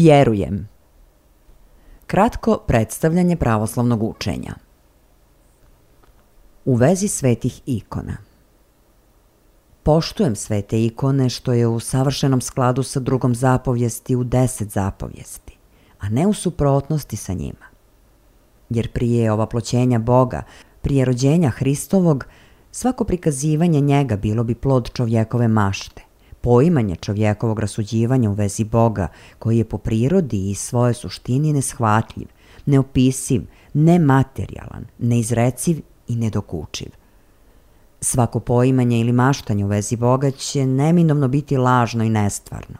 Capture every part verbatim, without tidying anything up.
Vjerujem. Kratko predstavljanje pravoslavnog učenja. U vezi svetih ikona. Poštujem svete ikone što je u savršenom skladu sa drugom zapovijesti u deset zapovijesti, a ne u suprotnosti sa njima. Jer prije ovaploćenja Boga, prije rođenja Hristovog, svako prikazivanje njega bilo bi plod čovjekove mašte, poimanje čovjekovog rasuđivanja u vezi Boga, koji je po prirodi i svoje suštini neshvatljiv, neopisiv, nematerijalan, neizreciv i nedokučiv. Svako poimanje ili maštanje u vezi Boga će neminovno biti lažno i nestvarno.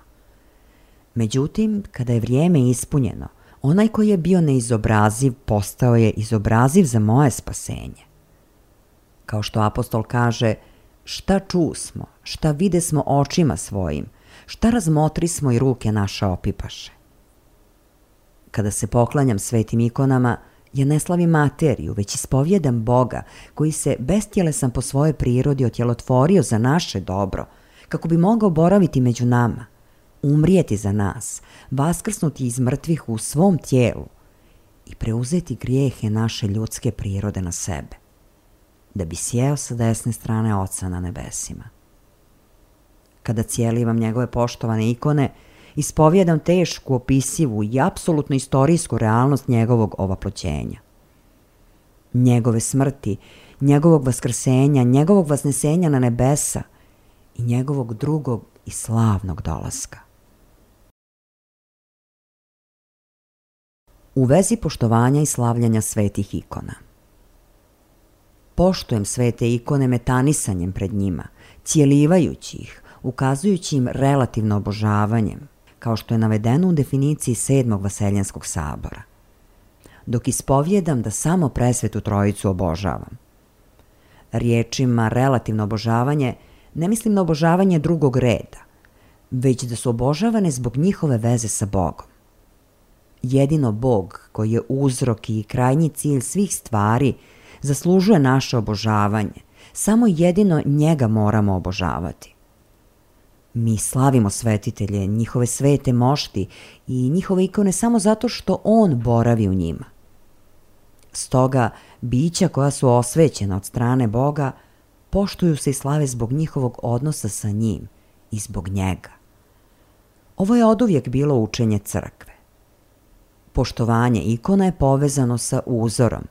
Međutim, kada je vrijeme ispunjeno, onaj koji je bio neizobraziv postao je izobraziv za moje spasenje. Kao što apostol kaže, šta čusmo, šta videsmo očima svojim, šta razmotrismo i ruke naše opipaše. Kada se poklanjam svetim ikonama, ja ne slavim materiju, već ispovjedam Boga, koji se bestjelesan po svojoj prirodi otjelotvorio za naše dobro, kako bi mogao boraviti među nama, umrijeti za nas, vaskrsnuti iz mrtvih u svom tijelu i preuzeti grijehe naše ljudske prirode na sebe, da bi sjeo sa desne strane Oca na nebesima. Kada cijelivam njegove poštovane ikone, ispovjedam tešku, opisivu i apsolutno istorijsku realnost njegovog ovaploćenja. Njegove smrti, njegovog vaskrsenja, njegovog vasnesenja na nebesa i njegovog drugog i slavnog dolaska. U vezi poštovanja i slavljanja svetih ikona. Poštujem svete ikone metanisanjem pred njima, cijelivajući ih, ukazujući im relativno obožavanjem, kao što je navedeno u definiciji sedmog Vaseljenskog sabora. Dok ispovjedam da samo presvetu trojicu obožavam. Riječima relativno obožavanje ne mislim na obožavanje drugog reda, već da su obožavane zbog njihove veze sa Bogom. Jedino Bog, koji je uzrok i krajnji cilj svih stvari, zaslužuje naše obožavanje. Samo jedino njega moramo obožavati. Mi slavimo svetitelje, njihove svete mošti i njihove ikone samo zato što on boravi u njima. Stoga, bića koja su osvećena od strane Boga poštuju se i slave zbog njihovog odnosa sa njim i zbog njega. Ovo je oduvijek bilo učenje crkve. Poštovanje ikona je povezano sa uzorom.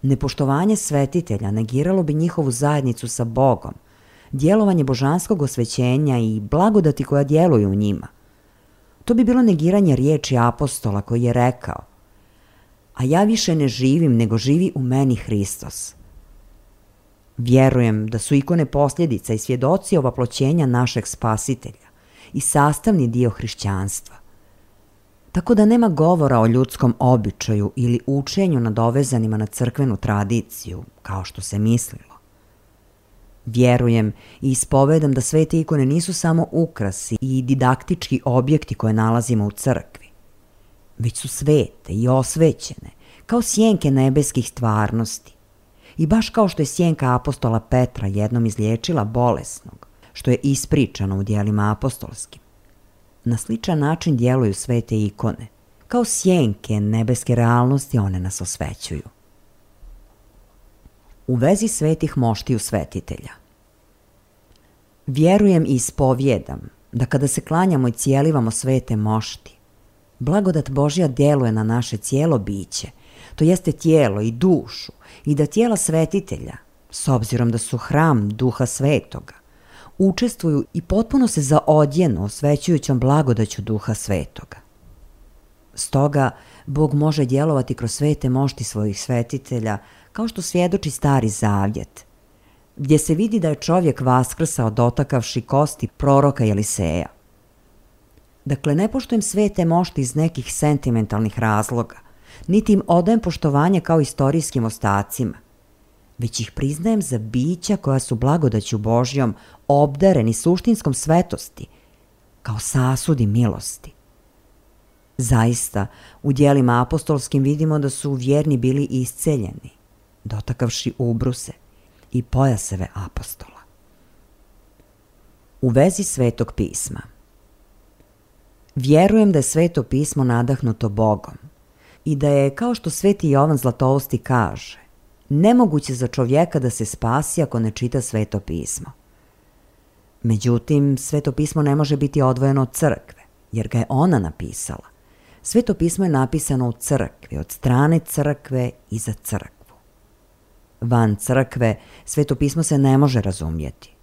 Nepoštovanje svetitelja negiralo bi njihovu zajednicu sa Bogom, djelovanje božanskog osvećenja i blagodati koja djeluju u njima. To bi bilo negiranje riječi apostola koji je rekao: a ja više ne živim, nego živi u meni Hristos. Vjerujem da su ikone posljedica i svjedoci ovaploćenja našeg spasitelja i sastavni dio hrišćanstva. Tako da nema govora o ljudskom običaju ili učenju nadovezanima na crkvenu tradiciju, kao što se mislilo. Vjerujem i ispovedam da svete ikone nisu samo ukrasi i didaktički objekti koje nalazimo u crkvi, već su svete i osvećene, kao sjenke nebeskih stvarnosti. I baš kao što je sjenka apostola Petra jednom izliječila bolesnog, što je ispričano u djelima apostolskim, na sličan način djeluju svete ikone. Kao sjenke nebeske realnosti one nas osvećuju. U vezi svetih moštiju svetitelja. Vjerujem i ispovjedam da kada se klanjamo i cijelivamo svete mošti, blagodat Božja djeluje na naše cijelo biće, to jeste tijelo i dušu, i da tijela svetitelja, s obzirom da su hram Duha Svetoga, učestvuju i potpuno se zaodjenu osvećujućom blagodaću Duha Svetoga. Stoga, Bog može djelovati kroz svete mošti svojih svetitelja, kao što svjedoči Stari Zavjet, gdje se vidi da je čovjek vaskrsao dotakavši kosti proroka Eliseja. Dakle, ne poštujem svete mošti iz nekih sentimentalnih razloga, niti im odajem poštovanje kao istorijskim ostacima, već ih priznajem za bića koja su blagodaću Božjom obdareni suštinskom svetosti, kao sasudi milosti. Zaista, u djelima apostolskim vidimo da su vjerni bili isceljeni, dotakavši ubruse i pojaseve apostola. U vezi Svetog pisma. Vjerujem da je Sveto pismo nadahnuto Bogom i da je, kao što Sveti Jovan Zlatousti kaže, nemoguće za čovjeka da se spasi ako ne čita Sveto pismo. Međutim, Sveto pismo ne može biti odvojeno od crkve, jer ga je ona napisala. Sveto pismo je napisano u crkvi, od strane crkve i za crkvu. Van crkve, Sveto pismo se ne može razumjeti.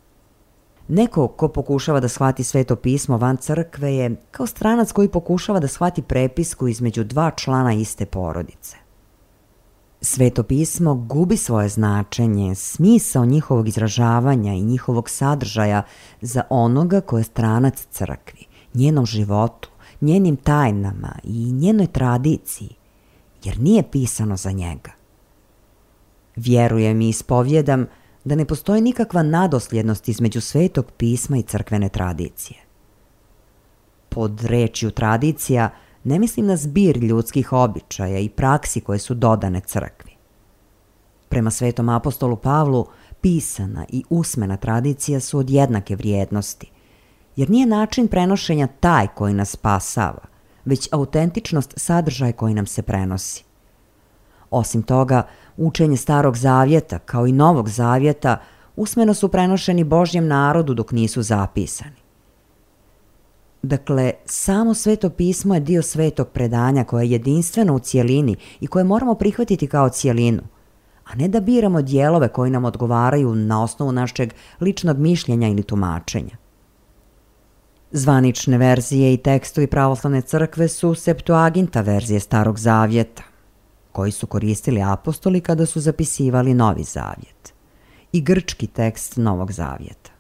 Neko ko pokušava da shvati Sveto pismo van crkve je kao stranac koji pokušava da shvati prepisku između dva člana iste porodice. Sveto pismo gubi svoje značenje, smisao njihovog izražavanja i njihovog sadržaja za onoga ko je stranac crkvi, njenom životu, njenim tajnama i njenoj tradiciji, jer nije pisano za njega. Vjerujem i ispovjedam da ne postoji nikakva nadosljednost između Svetog pisma i crkvene tradicije. Pod rečju tradicija ne mislim na zbir ljudskih običaja i praksi koje su dodane crkvi. Prema Svetom apostolu Pavlu, pisana i usmena tradicija su od jednake vrijednosti, jer nije način prenošenja taj koji nas spasava, već autentičnost sadržaja koji nam se prenosi. Osim toga, učenje Starog zavjeta, kao i Novog zavjeta, usmeno su prenošeni Božjem narodu dok nisu zapisani. Dakle, samo Sveto pismo je dio svetog predanja koje je jedinstveno u cijelini i koje moramo prihvatiti kao cijelinu, a ne da biramo dijelove koji nam odgovaraju na osnovu našeg ličnog mišljenja ili tumačenja. Zvanične verzije i tekstovi pravoslavne crkve su Septuaginta verzije Starog zavjeta, koji su koristili apostoli kada su zapisivali Novi zavjet, i grčki tekst Novog zavjeta.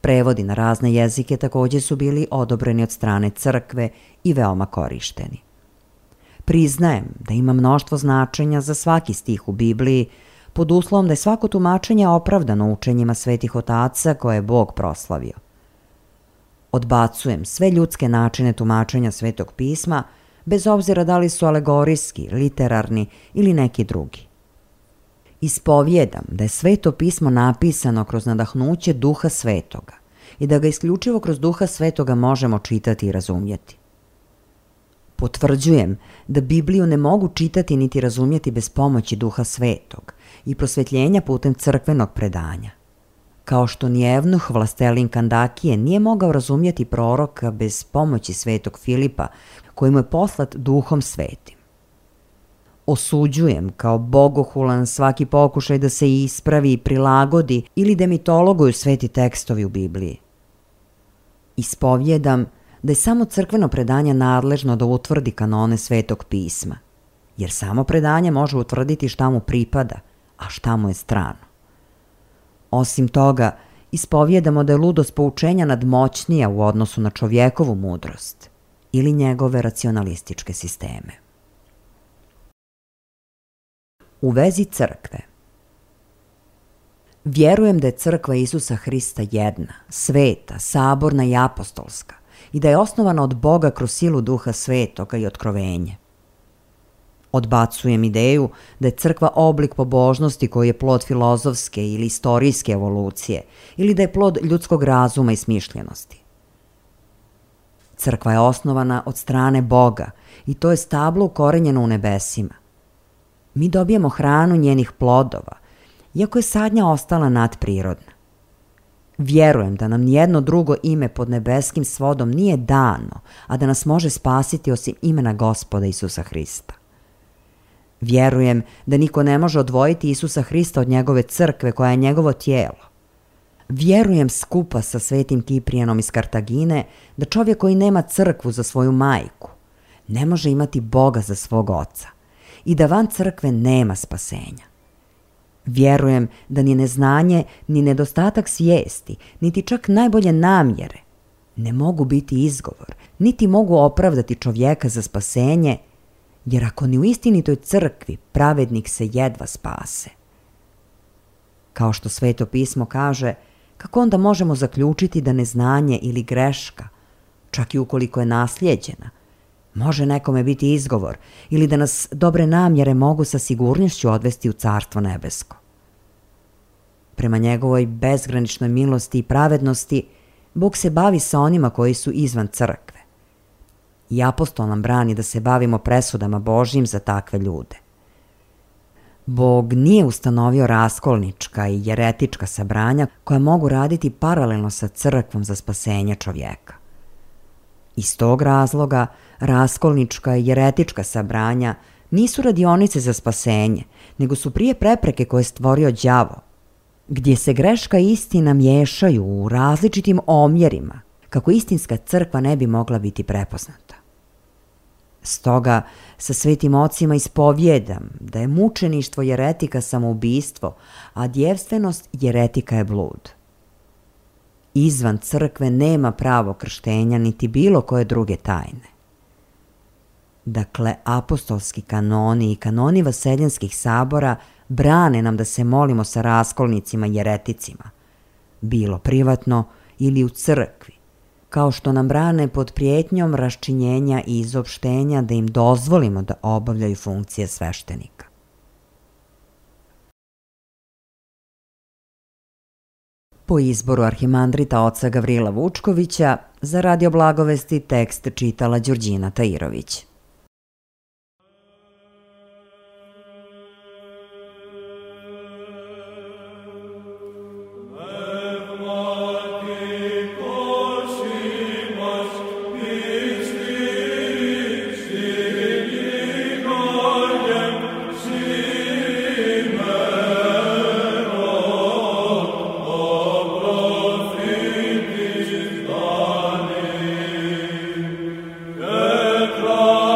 Prevodi na razne jezike također su bili odobreni od strane crkve i veoma korišteni. Priznajem da ima mnoštvo značenja za svaki stih u Bibliji, pod uslovom da je svako tumačenje opravdano učenjima svetih otaca koje je Bog proslavio. Odbacujem sve ljudske načine tumačenja Svetog pisma, bez obzira da li su alegorijski, literarni ili neki drugi. Ispovjedam da je Sveto pismo napisano kroz nadahnuće Duha Svetoga i da ga isključivo kroz Duha Svetoga možemo čitati i razumjeti. Potvrđujem da Bibliju ne mogu čitati niti razumjeti bez pomoći Duha Svetog i prosvjetljenja putem crkvenog predanja. Kao što ni Evnuh, vlastelin Kandakije, nije mogao razumjeti proroka bez pomoći Svetog Filipa, koji mu je poslat Duhom Svetim. Osuđujem kao bogohulan svaki pokušaj da se ispravi i prilagodi ili demitologuju sveti tekstovi u Bibliji. Ispovjedam da je samo crkveno predanje nadležno da utvrdi kanone Svetog pisma, jer samo predanje može utvrditi šta mu pripada, a šta mu je strano. Osim toga, ispovjedamo da je ludost poučenja nadmoćnija u odnosu na čovjekovu mudrost ili njegove racionalističke sisteme. U vezi crkve. Vjerujem da je crkva Isusa Hrista jedna, sveta, saborna i apostolska i da je osnovana od Boga kroz silu Duha Svetoga i otkrovenje. Odbacujem ideju da je crkva oblik pobožnosti koji je plod filozofske ili istorijske evolucije ili da je plod ljudskog razuma i smišljenosti. Crkva je osnovana od strane Boga i to je stablo ukorenjeno u nebesima. Mi dobijemo hranu njenih plodova, iako je sadnja ostala nadprirodna. Vjerujem da nam nijedno drugo ime pod nebeskim svodom nije dano, a da nas može spasiti osim imena Gospoda Isusa Hrista. Vjerujem da niko ne može odvojiti Isusa Hrista od njegove crkve koja je njegovo tijelo. Vjerujem skupa sa svetim Kiprijanom iz Kartagine da čovjek koji nema crkvu za svoju majku ne može imati Boga za svog oca i da van crkve nema spasenja. Vjerujem da ni neznanje, ni nedostatak svijesti, niti čak najbolje namjere ne mogu biti izgovor, niti mogu opravdati čovjeka za spasenje, jer ako ni u istinitoj crkvi pravednik se jedva spase. Kao što Sveto pismo kaže, kako onda možemo zaključiti da neznanje ili greška, čak i ukoliko je naslijeđena, može nekome biti izgovor ili da nas dobre namjere mogu sa sigurnošću odvesti u Carstvo nebesko. Prema njegovoj bezgraničnoj milosti i pravednosti, Bog se bavi sa onima koji su izvan crkve, I apostol nam brani da se bavimo presudama Božjim za takve ljude. Bog nije ustanovio raskolnička i jeretička sabranja koja mogu raditi paralelno sa crkvom za spasenje čovjeka. Iz tog razloga raskolnička i jeretička sabranja nisu radionice za spasenje, nego su prije prepreke koje je stvorio đavo, gdje se greška i istina miješaju u različitim omjerima, kako istinska crkva ne bi mogla biti prepoznata. Stoga sa svetim ocima ispovjedam da je mučeništvo jeretika samoubistvo, a djevstvenost jeretika je blud. Izvan crkve nema pravo krštenja niti bilo koje druge tajne. Dakle, apostolski kanoni i kanoni vaseljenskih sabora brane nam da se molimo sa raskolnicima i jereticima, bilo privatno ili u crkvi, kao što nam brane pod prijetnjom raščinjenja i izopštenja da im dozvolimo da obavljaju funkcije sveštenika. Po izboru arhimandrita oca Gavrila Vučkovića, za Radio Blagovesti tekst čitala Đurđina Tajirović. Lord.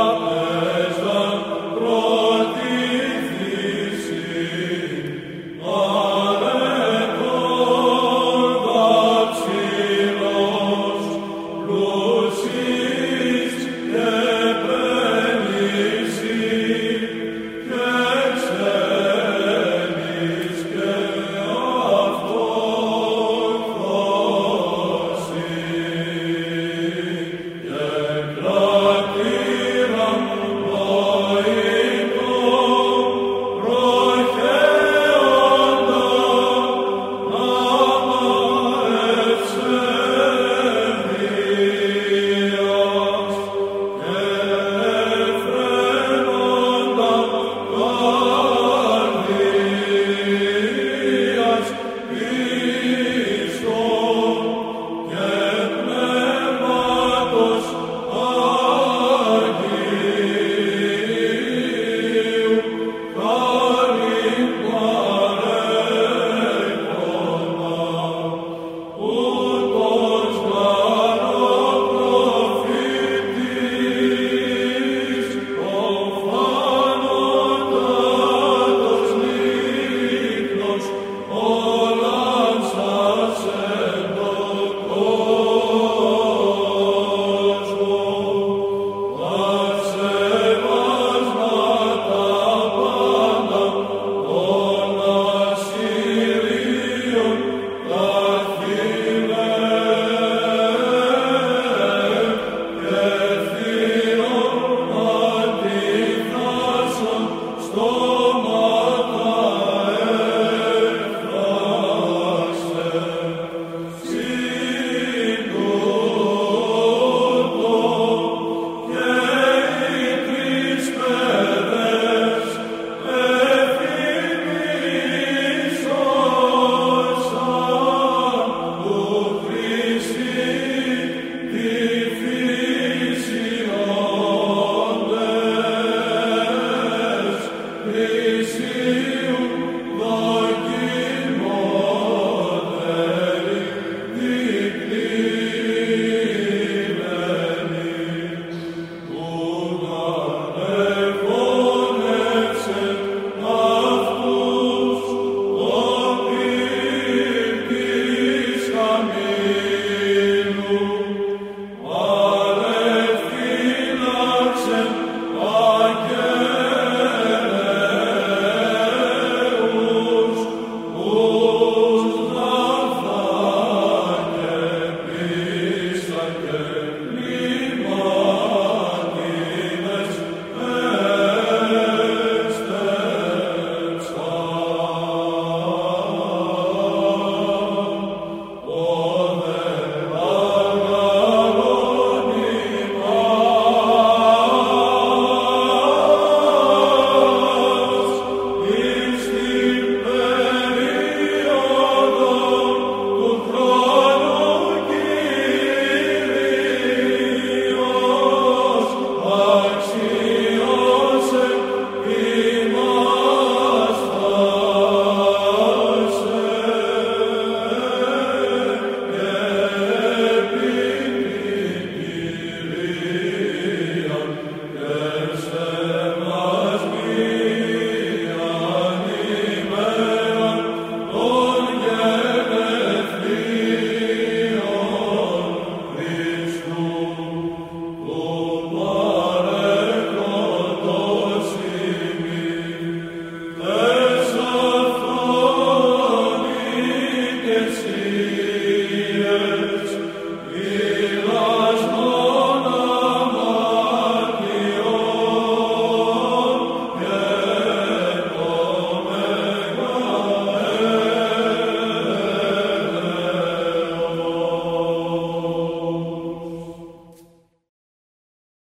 Esi